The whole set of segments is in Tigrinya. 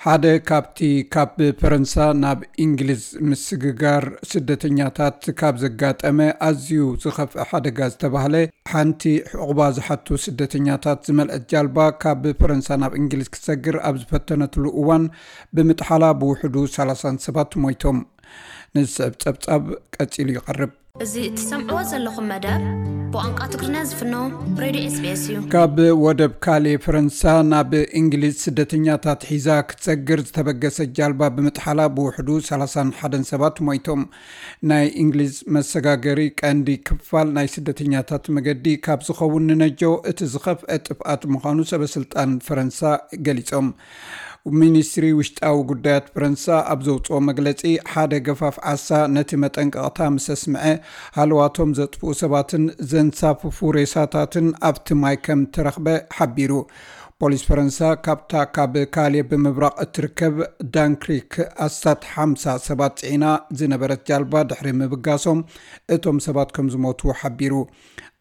ሓደ ካብቲ ካብ ፈረንሳ ናብ እንግሊዝ ምስግጋር ስደተኛታት ካብ ዘጋጠመ ኣዝዩ ዝኸፍአ ሓደጋ ዝተባህለ፣ ሓንቲ ዕቑባ ዝሓቱ ስደተኛታት ዝመልአት ጃልባ ካብ ፈረንሳ ናብ እንግሊዝ ክትሰግር ኣብ ዝፈተነትሉ እዋን ብምጥሓላ ብውሕዱ ሰላሳ ሰባት ሞይቶም። ንዝስዕብ ጸብጻብ ቀጺሉ ይቐርብ። እዚ እትሰምዕዎ ዘለኹም መደብ ብቋንቋ ትግርኛ ዝፍኖ ሬድዮ ኤስቢኤስ እዩ። ካብ ወደብ ካሌ ፈረንሳ ናብ እንግሊዝ ስደተኛታት ሒዛ ክትሰግር ዝተበገሰት ጃልባ ብምጥሓላ ብውሕዱ ሰላሳን ሓደን ሰባት ሞይቶም። ናይ እንግሊዝ መሰጋገሪ ቀንዲ ክፋል ናይ ስደተኛታት መገዲ ካብ ዝኸውን ንነጀው እቲ ዝኸፍአ ጥፍኣት ምዃኑ ሰበስልጣን ፈረንሳ ገሊጾም። ሚኒስትሪ ውሽጣዊ ጉዳያት ፈረንሳ ኣብ ዘውፅኦ መግለፂ፣ ሓደ ገፋፍ ዓሳ ነቲ መጠንቀቕታ ምስ ኣስምዐ፣ ሃለዋቶም ዘጥፍኡ ሰባትን ዘንሳፍፉ ሬሳታትን ኣብቲ ማይ ከም ተረኽበ ሓቢሩ። ፖሊስ ፈረንሳ ካብታ ካብ ካሌ ብምብራቕ እትርከብ ዳንክሪክ ኣስታት ሓምሳ ሰባት ጽዒና ዝነበረት ጃልባ ድሕሪ ምብጋሶም እቶም ሰባት ከም ዝሞቱ ሓቢሩ።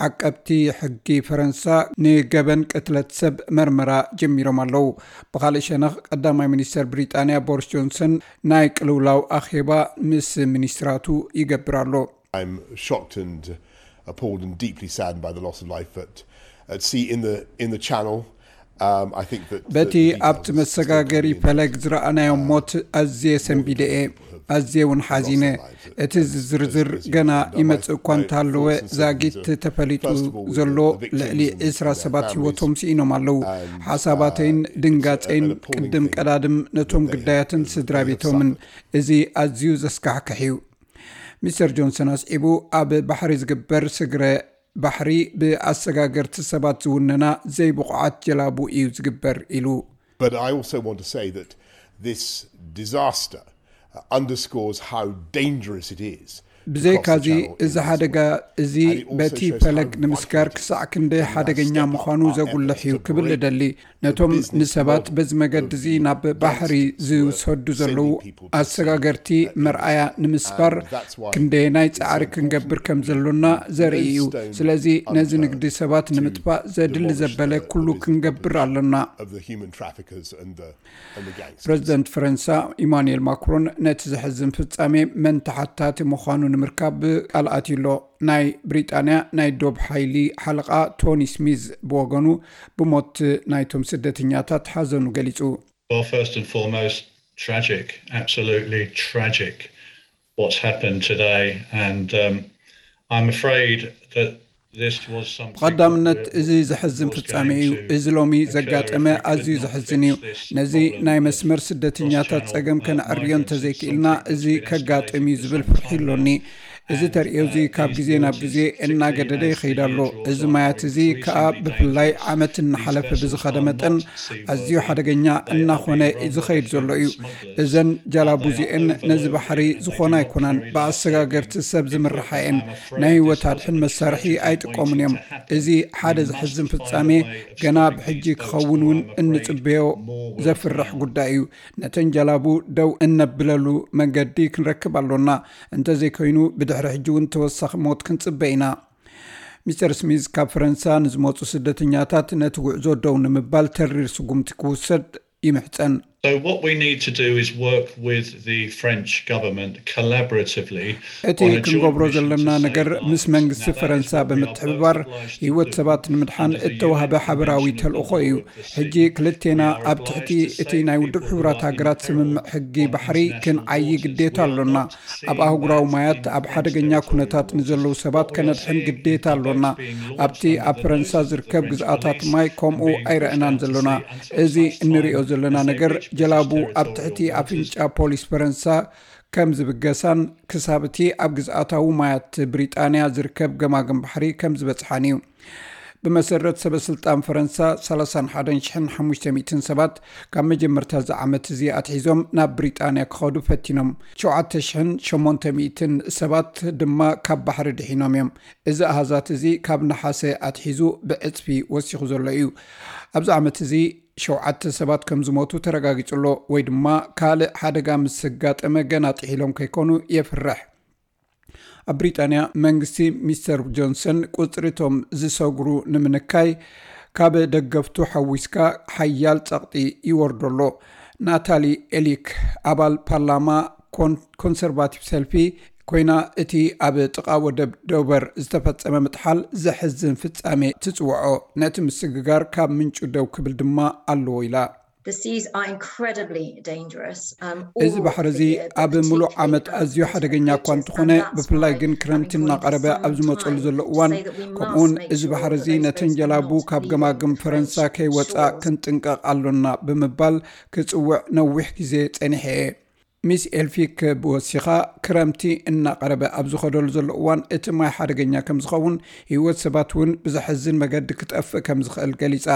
ዓቀብቲ ሕጊ ፈረንሳ ንገበን ቅትለት ሰብ መርመራ ጀሚሮም ኣለዉ። ብኻልእ ሸነኽ ቀዳማይ ሚኒስተር ብሪጣንያ ቦሪስ ጆንሰን ናይ ቅልውላው ኣኼባ ምስ ሚኒስትራቱ ይገብር ኣሎ። I'm shocked and appalled and deeply saddened by the loss of life at, at sea in the in the channel. Um, I think that በቲ ኣብቲ መሰጋገሪ ፈለግ ዝረኣናዮም ሞት ኣዝየ ሰንቢደ እየ። ኣዝየ እውን ሓዚነ። እቲ ዝዝርዝር ገና ይመጽእ እኳ እንተሃለወ፣ ዛጊት ተፈሊጡ ዘሎ ልዕሊ ዕስራ ሰባት ህይወቶም ስኢኖም ኣለዉ። ሓሳባተይን ድንጋጸይን ቅድም ቀዳድም ነቶም ግዳያትን ስድራ ቤቶምን። እዚ ኣዝዩ ዘስካሕክሕ እዩ። ሚስተር ጆንሰን ኣስዒቡ፣ ኣብ ባሕሪ ዝግበር ስግረ ባሕሪ ብኣሰጋገርቲ ሰባት ዝውነና ዘይብቑዓት ጀላቡ እዩ ዝግበር ኢሉ። But I also want to say that this disaster uh, underscores how dangerous it is. ብዘይካዚ እዚ ሓደጋ እዚ በቲ ፈለግ ንምስጋር ክሳዕ ክንደይ ሓደገኛ ምዃኑ ዘጉልሕ እዩ ክብል እደሊ። ነቶም ንሰባት በዚ መገዲ እዚ ናብ ባሕሪ ዝሰዱ ዘለዉ ኣሰጋገርቲ መርኣያ ንምስባር ክንደየናይ ጻዕሪ ክንገብር ከም ዘሎና ዘርኢ እዩ። ስለዚ ነዚ ንግዲ ሰባት ንምጥፋእ ዘድሊ ዘበለ ኩሉ ክንገብር ኣሎና። ፕረዚደንት ፈረንሳ ኢማኑኤል ማክሮን ነቲ ዘሕዝን ፍጻሜ መን ተሓታቲ ምዃኑ ንምርካብ ቃል ኣትዩ ኣሎ። ናይ ብሪጣንያ ናይ ዶብ ሓይሊ ሓለቓ ቶኒ ስሚዝ ብወገኑ ብሞት ናይቶም ስደተኛታት ሓዘኑ ገሊጹ። Well, first and foremost, tragic, absolutely tragic what's happened today, and um, I'm afraid that this was something ብቐዳምነት that እዚ ዘሕዝን was ፍጻሜ going እዩ። to እዚ ሎሚ occur if ዘጋጠመ we could ኣዝዩ not ዘሕዝን fix እዩ። this ነዚ problem ናይ at መስመር the ስደተኛታት cross-channel, ጸገም uh, ከነዕርዮ migrants is እንተዘይክእልና something that's እዚ been ከጋጥም እዩ escalating ዝብል for ፍርሒ some time ኣሎኒ። now. እዚ ተርእዮ እዚ ካብ ግዜ ናብ ግዜ እናገደደ ይኸይድ ኣሎ። እዚ ማያት እዚ ከኣ ብፍላይ ዓመት እናሓለፈ ብዝኸደ መጠን ኣዝዩ ሓደገኛ እናኾነ ዝኸይድ ዘሎ እዩ። እዘን ጃላቡ እዚአን ነዚ ባሕሪ ዝኾና ኣይኮናን፣ ብኣሰጋገርቲ ሰብ ዝምርሓ እየን። ናይ ህይወት ኣድሕን መሳርሒ ኣይጥቀሙን እዮም። እዚ ሓደ ዘሕዝን ፍጻሜ ገና ብሕጂ ክኸውን እውን እንጽበዮ ዘፍርሕ ጉዳይ እዩ። ነተን ጃላቡ ደው እነብለሉ መንገዲ ክንረክብ ኣሎና። እንተዘይኮይኑ ብድሕሪ ሕጂ እውን ተወሳኺ ሞት ክንጽበ ኢና። ሚስተር ስሚዝ ካብ ፈረንሳ ንዝመፁ ስደተኛታት ነቲ ጉዕዞ ደው ንምባል ተሪር ስጉምቲ ክውሰድ ይምሕፀን። So what we need to do is work with the French government collaboratively እቲ ክንገብሮ ዘለና ነገር ምስ መንግስቲ ፈረንሳ ብምትሕብባር ህይወት ሰባት ንምድሓን እተዋህበ ሓበራዊ ተልእኾ እዩ። ሕጂ ክልቴና ኣብ ትሕቲ እቲ ናይ ውድብ ሕቡራት ሃገራት ስምምዕ ሕጊ ባሕሪ ክንዓዪ ግዴታ ኣሎና። ኣብ ኣህጉራዊ ማያት ኣብ ሓደገኛ ኩነታት ንዘለዉ ሰባት ከነድሕን ግዴታ ኣሎና። ኣብቲ ኣብ ፈረንሳ ዝርከብ ግዝኣታት ማይ ከምኡ ኣይረእናን ዘሎና። እዚ እንሪኦ ዘለና ነገር ጀላቡ ኣብ ትሕቲ ኣፍንጫ ፖሊስ ፈረንሳ ከም ዝብገሳን ክሳብ እቲ ኣብ ግዝኣታዊ ማያት ብሪጣንያ ዝርከብ ገማግም ባሕሪ ከም ዝበጽሓን እዩ። ብመሰረት ሰበስልጣን ፈረንሳ ሰላሳን ሓደን ሽሕን ሓሙሽተ ሚእትን ሰባት ካብ መጀመርታ እዚ ዓመት እዚ ኣትሒዞም ናብ ብሪጣንያ ክኸዱ ፈቲኖም። ሸውዓተ ሽሕን ሸሞንተ ሚእትን ሰባት ድማ ካብ ባሕሪ ድሒኖም እዮም። እዚ ኣሃዛት እዚ ካብ ነሓሰ ኣትሒዙ ብዕጽፊ ወሲኹ ዘሎ እዩ። ኣብዚ ዓመት እዚ ሸውዓተ ሰባት ከም ዝሞቱ ተረጋጊጹ ኣሎ፣ ወይ ድማ ካልእ ሓደጋ ምስ ዘጋጠመ ገና ጥሒሎም ከይኮኑ የፍርሕ። ኣብ ብሪጣንያ መንግስቲ ሚስተር ጆንሰን ቁጽሪ እቶም ዝሰግሩ ንምንካይ ካብ ደገፍቱ ሓዊስካ ሓያል ጸቕጢ ይወርዶ ኣሎ። ናታሊ ኤሊክ፣ ኣባል ፓርላማ ኮንሰርቫቲቭ ሰልፊ ኮይና፣ እቲ ኣብ ጥቓ ወደብ ዶቨር ዝተፈጸመ ምጥሓል ዘሕዝን ፍጻሜ ትጽውዖ፣ ነቲ ምስግጋር ካብ ምንጩ ደው ክብል ድማ ኣለዎ ኢላ። እዚ ባሕሪ እዚ ኣብ ምሉእ ዓመት ኣዝዩ ሓደገኛ እኳ እንተኾነ፣ ብፍላይ ግን ክረምቲ እናቐረበ ኣብ ዝመፀሉ ዘሎ እዋን፣ ከምኡውን እዚ ባሕሪ እዚ ነተን ጀላቡ ካብ ገማግም ፈረንሳ ከይወፃ ክንጥንቀቕ ኣሎና ብምባል ክፅውዕ ነዊሕ ግዜ ፀኒሐ እየ። ሚስ ኤልፊክ ብወሲኻ፣ ክረምቲ እናቐረበ ኣብ ዝኸደሉ ዘሎ እዋን እቲ ማይ ሓደገኛ ከም ዝኸውን፣ ህይወት ሰባት እውን ብዘሕዝን መገዲ ክጠፍእ ከም ዝኽእል ገሊጻ።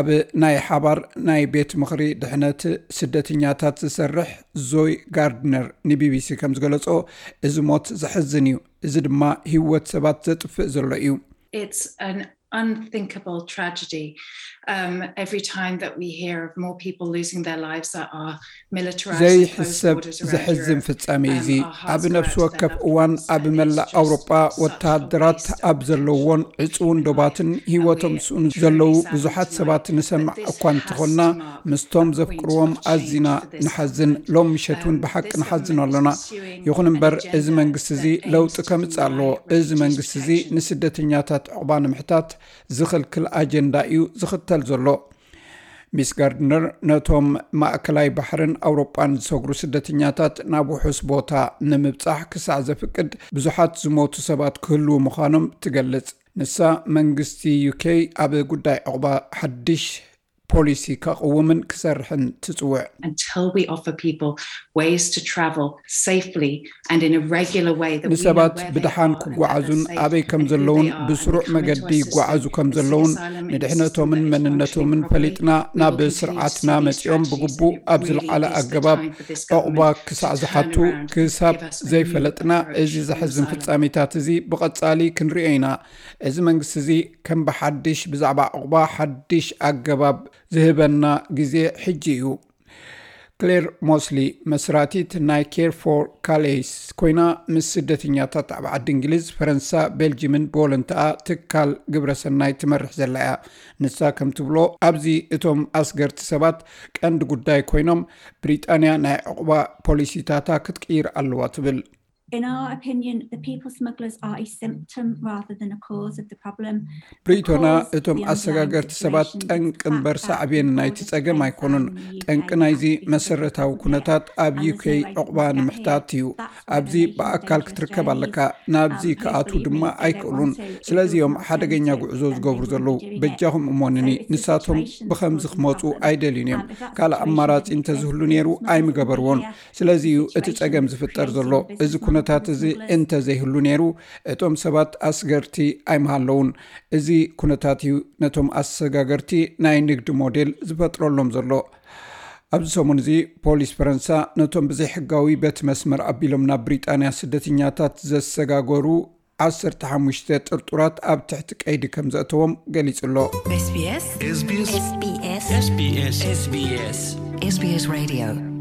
ኣብ ናይ ሓባር ናይ ቤት ምኽሪ ድሕነት ስደተኛታት ዝሰርሕ ዞይ ጋርድነር ንቢቢሲ ከም ዝገለጾ፣ እዚ ሞት ዘሕዝን እዩ፣ እዚ ድማ ህይወት ሰባት ዘጥፍእ ዘሎ እዩ። It's an unthinkable tragedy. Um, every time that we hear of more people losing their lives that are militarized and closed ዘይሕሰብ borders around ዘሕዝን Europe, ፍጻሜ um, እዚ our hearts ኣብ go out ነፍሲ to their ወከፍ loved እዋን ones ኣብ amidst መላእ ኣውሮጳ such ወተሃደራት waste ኣብ ዘለዎን ዕጹውን ዶባትን ህይወቶም ዝስእኑ ዘለዉ ብዙሓት ሰባት ንሰማዕ እኳ እንተኾንና ምስቶም ዘፍቅርዎም ኣዚና ንሓዝን። ሎም ምሸት እውን ብሓቂ ንሓዝን ኣሎና። ይኹን እምበር እዚ መንግስቲ እዚ ለውጢ ከምጽእ ኣለዎ። እዚ መንግስቲ እዚ ንስደተኛታት ዕቑባ ንምሕታት ዝኽልክል ኣጀንዳ እዩ ዝኽተል ዘሎ። ሚስ ጋርድነር ነቶም ማእከላይ ባሕርን ኣውሮጳን ዝሰግሩ ስደተኛታት ናብ ውሑስ ቦታ ንምብጻሕ ክሳዕ ዘፍቅድ ብዙሓት ዝሞቱ ሰባት ክህልዉ ምዃኖም ትገልጽ። ንሳ መንግስቲ ዩኬ ኣብ ጉዳይ ዕቑባ ሓድሽ ፖሊሲ ከቕውምን ክሰርሕን ትጽውዕ። Until we offer people ways to travel safely and in a regular way that we know ንሰባት where they ብድሓን are and that ክጓዓዙን they're safe ኣበይ ከም and who ዘለውን they are and ብስሩዕ they come መገዲ into our ይጓዓዙ system ከም and seek ዘለውን asylum in this ንድሕነቶምን country መንነቶምን properly, ፈሊጥና we ናብ will continue ስርዓትና to መጺኦም strategies ብግቡእ that ኣብ really ዝለዓለ is the ኣገባብ time for this ዕቑባ government ክሳዕ to turn ዝሓቱ around and ክሳብ give us a new ዘይፈለጥና approach እዚ on ዘሕዝን asylum. ፍጻሜታት እዚ ብቐጻሊ ክንርእዮ ኢና። እዚ መንግስቲ እዚ ከም ብሓድሽ ብዛዕባ ዕቑባ ሓድሽ ኣገባብ ዝህበና ግዜ ሕጂ እዩ። ክሌር ሞስሊ መስራቲት ናይ ኬር ፎር ካሌስ ኮይና ምስ ስደተኛታት ኣብ ዓዲ እንግሊዝ፣ ፈረንሳ፣ ቤልጂምን ብወለንትኣ ትካል ግብረሰናይ ትመርሕ ዘላ እያ። ንሳ ከም ትብሎ ኣብዚ እቶም ኣስገርቲ ሰባት ቀንዲ ጉዳይ ኮይኖም ብሪጣንያ ናይ ዕቑባ ፖሊሲታታ ክትቅይር ኣለዋ ትብል። In our opinion, the people smugglers are a symptom rather than a cause of the problem. ብሪቶና እቶም ኣሰጋገርቲ ሰባት ጠንቂ እምበር ሳዕቤን ናይቲ ጸገም ኣይኮኑን። ጠንቂ ናይዚ መሰረታዊ ኩነታት ኣብ ዩኬ ዕቑባ ንምሕታት እዩ። ኣብዚ ብኣካል ክትርከብ ኣለካ፣ ናብዚ ክኣትዉ ድማ ኣይክእሉን። ስለዚ እዮም ሓደገኛ ጉዕዞ ዝገብሩ ዘለዉ። በጃኹም እሞንኒ፣ ንሳቶም ብኸምዚ ክመፁ ኣይደልዩን እዮም። ካልእ ኣማራፂ እንተዝህሉ ነይሩ ኣይምገበርዎን። ስለዚ እዩ እቲ ጸገም ዝፍጠር ዘሎ። እዚ ኩነታት እዚ እንተዘይህሉ ነይሩ እቶም ሰባት ኣስገርቲ ኣይምሃለውን። እዚ ኩነታት እዩ ነቶም ኣሰጋገርቲ ናይ ንግዲ ሞዴል ዝፈጥረሎም ዘሎ። ኣብዚ ሰሙን እዚ ፖሊስ ፈረንሳ ነቶም ብዘይሕጋዊ በቲ መስመር ኣቢሎም ናብ ብሪጣንያ ስደተኛታት ዘሰጋገሩ ዓሰርተ ሓሙሽተ ጥርጡራት ኣብ ትሕቲ ቀይዲ ከም ዘእተዎም ገሊጹ ኣሎ። SBS SBS SBS Radio